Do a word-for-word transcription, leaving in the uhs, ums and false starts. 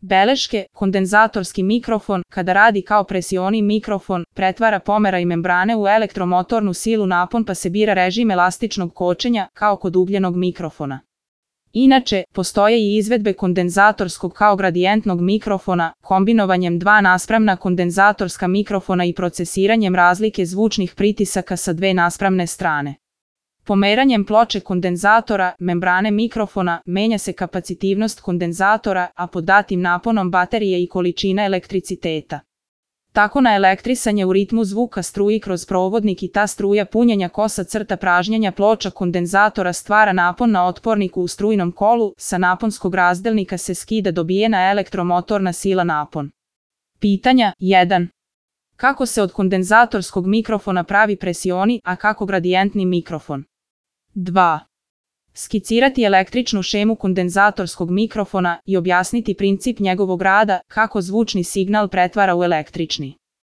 Beleške, kondenzatorski mikrofon, kada radi kao presioni mikrofon, pretvara pomeraj membrane u elektromotornu silu napon pa se bira režim elastičnog kočenja, kao kod ugljenog mikrofona. Inače, postoje i izvedbe kondenzatorskog kao gradijentnog mikrofona, kombinovanjem dva naspravna kondenzatorska mikrofona i procesiranjem razlike zvučnih pritisaka sa dve naspravne strane. Pomeranjem ploče kondenzatora, membrane mikrofona, menja se kapacitivnost kondenzatora, a pod datim naponom baterije i količina elektriciteta. Tako na elektrisanje u ritmu zvuka struji kroz provodnik i ta struja punjenja kosa crta pražnjenja ploča kondenzatora stvara napon na otporniku u strujnom kolu, sa naponskog razdelnika se skida dobijena elektromotorna sila napon. Pitanja jedan. Kako se od kondenzatorskog mikrofona pravi presioni, a kako gradijentni mikrofon? dva. Skicirati električnu šemu kondenzatorskog mikrofona i objasniti princip njegovog rada, kako zvučni signal pretvara u električni.